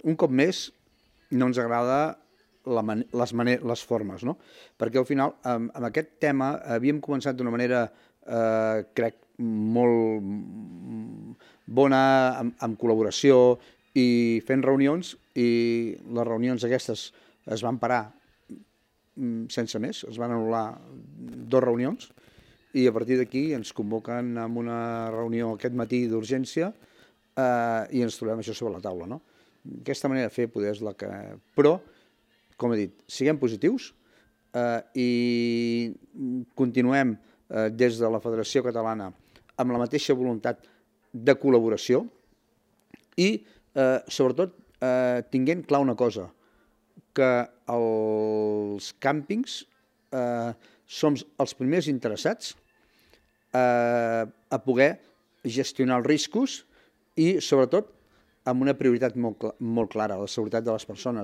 un cop més, no ens agrada les formes, no? Perquè al final, amb aquest tema, havíem començat d'una manera, crec, molt bona, amb col·laboració i fent reunions, i les reunions aquestes es van parar sense més, es van anul·lar 2 reunions, i a partir d'aquí ens convoquen a una reunió aquest matí d'urgència i ens trobem això sobre la taula, no? Aquesta manera de fer poder és la que... Però, com he dit, siguem positius i continuem des de la Federació Catalana amb la mateixa voluntat de col·laboració i, sobretot, tinguent clar una cosa, que els càmpings som els primers interessats a poder gestionar els riscos i, sobretot, amb una prioritat molt clara, la seguretat de les persones.